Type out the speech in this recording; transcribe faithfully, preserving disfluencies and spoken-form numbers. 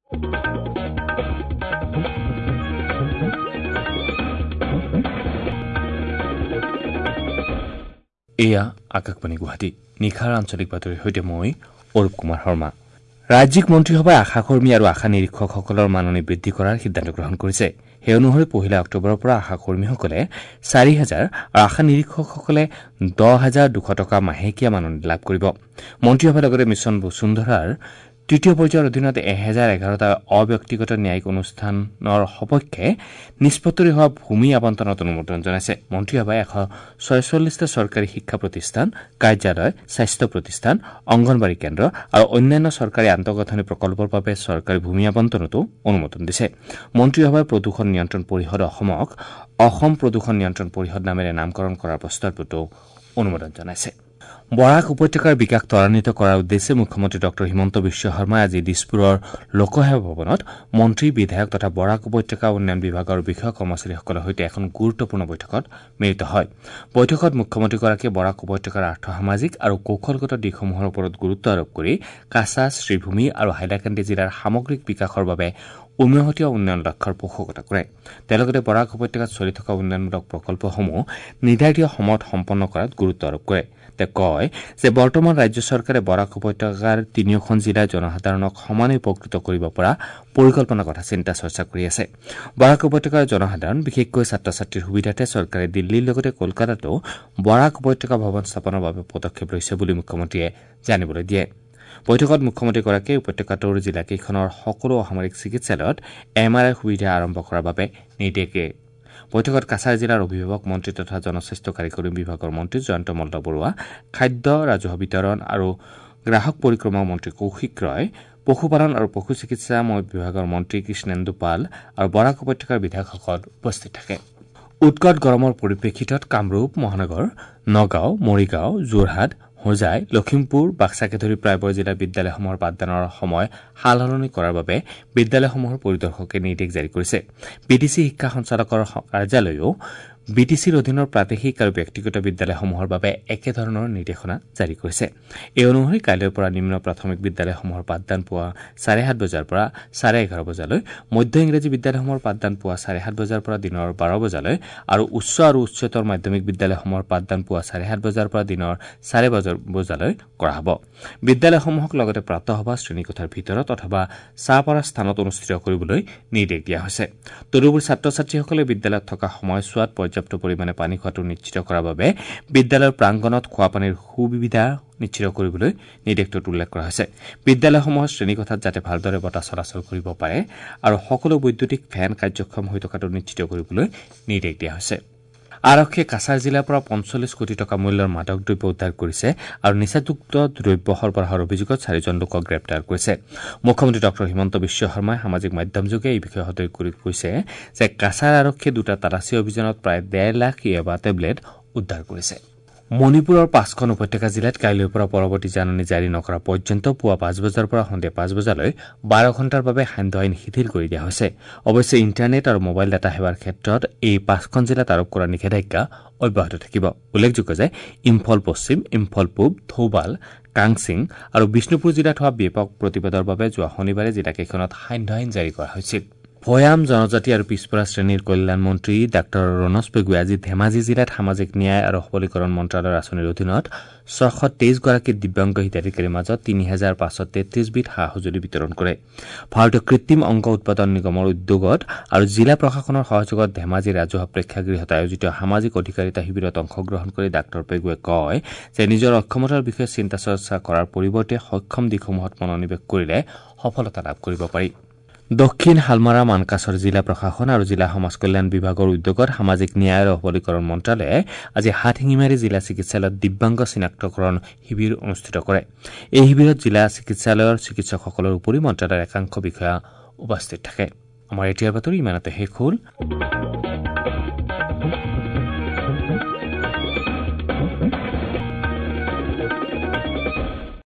এয়া আকাশবাণী গুৱাহাটী। নিশাৰ আঞ্চলিক বাতৰিৰ সৈতে মই অৰূপ কুমাৰ শৰ্মা। ৰাজ্যিক মন্ত্ৰীসভাই আশাকৰ্মী আৰু আশা নিৰীক্ষকসকলৰ মাননি বৃদ্ধি কৰাৰ সিদ্ধান্ত গ্ৰহণ কৰিছে। সেই অনুসৰি পহিলা অক্টোবৰৰ পৰা আশাকৰ্মীসকলে চাৰি হাজাৰ আৰু আশা নিৰীক্ষকসকলে দহ হাজাৰ দুশ টকা মাহেকীয়া মাননি লাভ কৰিব। মন্ত্ৰীসভাই লগতে মিছন বসুন্ধৰাৰ তৃতীয় পৰ্যায়ৰ অধীনত এহেজাৰ এঘাৰটা অব্যক্তিগত ন্যায়িক অনুষ্ঠানৰ সপক্ষে নিষ্পত্তি হোৱা ভূমি আবণ্টনত অনুমোদন জনাইছে। মন্ত্ৰীসভাই এশ ছয়চল্লিছটা চৰকাৰী শিক্ষা প্ৰতিষ্ঠান, কাৰ্যালয়, স্বাস্থ্য প্ৰতিষ্ঠান, অংগনবাড়ী কেন্দ্ৰ আৰু অন্যান্য চৰকাৰী আন্তঃগাঁথনি প্ৰকল্পৰ বাবে চৰকাৰী ভূমি আবণ্টনতো অনুমোদন দিছে। মন্ত্ৰীসভাই প্ৰদূষণ নিয়ন্ত্ৰণ পৰিষদ অসমক অসম প্ৰদূষণ নিয়ন্ত্ৰণ পৰিষদ নামেৰে নামকৰণ কৰাৰ প্ৰস্তাৱতো অনুমোদন জনাইছে। বৰাক উপত্যকাৰ বিকাশ ত্বৰান্বিত কৰাৰ উদ্দেশ্যে মুখ্যমন্ত্ৰী ডঃ হিমন্ত বিশ্ব শৰ্মাই আজি দিছপুৰৰ লোকসেৱা ভৱনত মন্ত্ৰী, বিধায়ক তথা বৰাক উপত্যকা উন্নয়ন বিভাগৰ বিষয়া কৰ্মচাৰীসকলৰ সৈতে এখন গুৰুত্বপূৰ্ণ বৈঠকত মিলিত হয়। বৈঠকত মুখ্যমন্ত্ৰীগৰাকীয়ে বৰাক উপত্যকাৰ আৰ্থসামাজিক আৰু কৌশলগত দিশসমূহৰ ওপৰত গুৰুত্ব আৰোপ কৰি কাছাৰ, শ্ৰীভূমি আৰু হাইলাকান্দি জিলাৰ সামগ্ৰিক বিকাশৰ বাবে উমৈহতীয়া উন্নয়ন লক্ষ্যৰ পোষকতা কৰে। তেওঁ লগতে বৰাক উপত্যকাত চলি থকা উন্নয়নমূলক প্ৰকল্পসমূহ নিৰ্ধাৰিত সময়ত সম্পন্ন কৰাত গুৰুত্ব আৰোপ কৰে। তেওঁ কয় যে বৰ্তমান ৰাজ্য চৰকাৰে বৰাক উপত্যকাৰ তিনিওখন জিলাৰ জনসাধাৰণক সমানে উপকৃত কৰিব পৰা পৰিকল্পনাৰ কথা চিন্তা চৰ্চা কৰি আছে। বৰাক উপত্যকাৰ জনসাধাৰণ, বিশেষকৈ ছাত্ৰ ছাত্ৰীৰ সুবিধাৰ্থে চৰকাৰে দিল্লীৰ লগতে কলকাতাতো বৰাক উপত্যকা ভৱন স্থাপনৰ বাবে পদক্ষেপ লৈছে বুলি মুখ্যমন্ত্ৰীয়ে জানিবলৈ দিয়ে। বৈঠকত মুখ্যমন্ত্ৰীগৰাকীয়ে উপত্যকাটোৰ জিলাকেইখনৰ সকলো অসামৰিক চিকিৎসালয়ত এম আৰ I সুবিধা আৰম্ভ কৰাৰ বাবে নিৰ্দেশ দিয়ে। বৈঠকত কাছাৰ জিলাৰ অভিভাৱক মন্ত্ৰী তথা জনস্বাস্থ্য কাৰিকৰী বিভাগৰ মন্ত্ৰী জয়ন্ত মল্ল বৰুৱা, খাদ্য, ৰাজহুৱা বিতৰণ আৰু গ্ৰাহক পৰিক্ৰমা মন্ত্ৰী কৌশিক ৰয়, পশুপালন আৰু পশু চিকিৎসা বিভাগৰ মন্ত্ৰী কৃষ্ণেন্দু পাল আৰু বৰাক উপত্যকাৰ বিধায়কসকল উপস্থিত থাকে। উৎকট গৰমৰ পৰিপ্ৰেক্ষিতত কামৰূপ মহানগৰ, নগাঁও, মৰিগাঁও, যোৰহাট, হোজাই, লখিমপুৰ, বাক্সাকে ধৰি প্ৰায়বোৰ জিলাৰ বিদ্যালয়সমূহৰ পাঠদানৰ সময় সালসলনি কৰাৰ বাবে বিদ্যালয়সমূহৰ পৰিদৰ্শকে নিৰ্দেশ জাৰি কৰিছে। বি টি চি শিক্ষা সঞ্চালকৰ কাৰ্যালয়েও বি টি চিৰ অধীনৰ প্ৰাদেশিক আৰু ব্যক্তিগত বিদ্যালয়সমূহৰ বাবে একেধৰণৰ নিৰ্দেশনা জাৰি কৰিছে। এই অনুসৰি কাইলৈৰ পৰা নিম্ন প্ৰাথমিক বিদ্যালয়সমূহৰ পাঠদান পুৱা চাৰে সাত বজাৰ পৰা চাৰে এঘাৰ বজালৈ, মধ্য ইংৰাজী বিদ্যালয়সমূহৰ পাঠদান পুৱা চাৰে সাত বজাৰ পৰা দিনৰ বাৰ বজালৈ আৰু উচ্চ আৰু উচ্চতৰ মাধ্যমিক বিদ্যালয়সমূহৰ পাঠদান পুৱা চাৰে সাত বজাৰ পৰা দিনৰ চাৰে বজালৈ কৰা হ'ব। বিদ্যালয়সমূহক লগতে প্ৰাতঃসভা শ্ৰেণীকোঠাৰ ভিতৰত অথবা চাহ পৰা স্থানত অনুষ্ঠিত কৰিবলৈ নিৰ্দেশ দিয়া হৈছে। তদুপৰি ছাত্ৰ ছাত্ৰীসকলে বিদ্যালয়ত থকা সময়ছোৱাত পৰ্যাপ্ত পৰিমাণে পানী খোৱাটো নিশ্চিত কৰাৰ বাবে বিদ্যালয়ৰ প্ৰাংগণত খোৱাপানীৰ সুবিধা নিশ্চিত কৰিবলৈ নিৰ্দেশটোত উল্লেখ কৰা হৈছে। বিদ্যালয়সমূহৰ শ্ৰেণীকোঠাত যাতে ভালদৰে বতাহ চলাচল কৰিব পাৰে আৰু সকলো বৈদ্যুতিক ফেন কাৰ্যক্ষম হৈ থকাটো নিশ্চিত কৰিবলৈ নিৰ্দেশ দিয়া হৈছে। আৰক্ষীয়ে কাছাৰ জিলাৰ পৰা পঞ্চল্লিছ কোটি টকা মূল্যৰ মাদক দ্ৰব্য উদ্ধাৰ কৰিছে আৰু নিচাযুক্ত দ্ৰব্য সৰবৰাহৰ অভিযোগত চাৰিজন লোকক গ্ৰেপ্তাৰ কৰিছে। মুখ্যমন্ত্ৰী ডঃ হিমন্ত বিশ্ব শৰ্মাই সামাজিক মাধ্যমযোগে এই বিষয়ে সদৰি কৰি কৈছে যে কাছাৰ আৰক্ষীয়ে দুটা তালাচী অভিযানত প্ৰায় ডেৰ লাখ য়াবা টেবলেট উদ্ধাৰ কৰিছে। মণিপুৰৰ পাঁচখন উপত্যকা জিলাত কাইলৈৰ পৰা পৰৱৰ্তী জাননী জাৰি নকৰা পৰ্যন্ত পুৱা পাঁচ বজাৰ পৰা সন্ধিয়া পাঁচ বজালৈ বাৰ ঘণ্টাৰ বাবে সান্ধ্য আইন শিথিল কৰি দিয়া হৈছে। অৱশ্যে ইণ্টাৰনেট আৰু মোবাইল ডাটা সেৱাৰ ক্ষেত্ৰত এই পাঁচখন জিলাত আৰোপ কৰা নিষেধাজ্ঞা অব্যাহত থাকিব। উল্লেখযোগ্য যে ইম্ফল পশ্চিম, ইম্ফল পূব, থৌবাল, কাংচিং আৰু বিষ্ণুপুৰ জিলাত হোৱা ব্যাপক প্ৰতিবাদৰ বাবে যোৱা শনিবাৰে জিলাকেইখনত সান্ধ্য আইন জাৰি কৰা হৈছিল। ভৈয়াম জনজাতি আৰু পিছপৰা শ্ৰেণীৰ কল্যাণ মন্ত্ৰী ডাঃ ৰণোজ পেগুৱে আজি ধেমাজি জিলাত সামাজিক ন্যায় আৰু সবলীকৰণ মন্ত্ৰালয়ৰ আঁচনিৰ অধীনত ছশ তেইছগৰাকী দিব্যাংগ হিতাধিকাৰীৰ মাজত তিনি হাজাৰ পাঁচশ তেত্ৰিছবিধ সা সঁজুলি বিতৰণ কৰে। ভাৰতীয় কৃত্ৰিম অংগ উৎপাদন নিগমৰ উদ্যোগত আৰু জিলা প্ৰশাসনৰ সহযোগত ধেমাজি ৰাজহুৱা প্ৰেক্ষাগৃহত আয়োজিত সামাজিক অধিকাৰিতা শিবিৰত অংশগ্ৰহণ কৰি ডাঃ পেগুৱে কয় যে নিজৰ অক্ষমতাৰ বিষয়ে চিন্তা চৰ্চা কৰাৰ পৰিৱৰ্তে সক্ষম দিশসমূহত মনোনিৱেশ কৰিলে সফলতা লাভ কৰিব পাৰি। দক্ষিণ হালমাৰা মানকাছৰ জিলা প্ৰশাসন আৰু জিলা সমাজ কল্যাণ বিভাগৰ উদ্যোগত সামাজিক ন্যায় আৰু সবলীকৰণ মন্ত্ৰালয়ে আজি হাটশিঙিমাৰী জিলা চিকিৎসালয়ত দিব্যাংগ চিনাক্তকৰণ শিবিৰ অনুষ্ঠিত কৰে। এই শিবিৰত জিলা চিকিৎসালয়ৰ চিকিৎসকসকলৰ উপৰি মন্ত্ৰালয়ৰ একাংশ বিষয়া উপস্থিত থাকে। আমাৰ এতিয়াৰ বাতৰি ইমানতে শেষ হ'ল।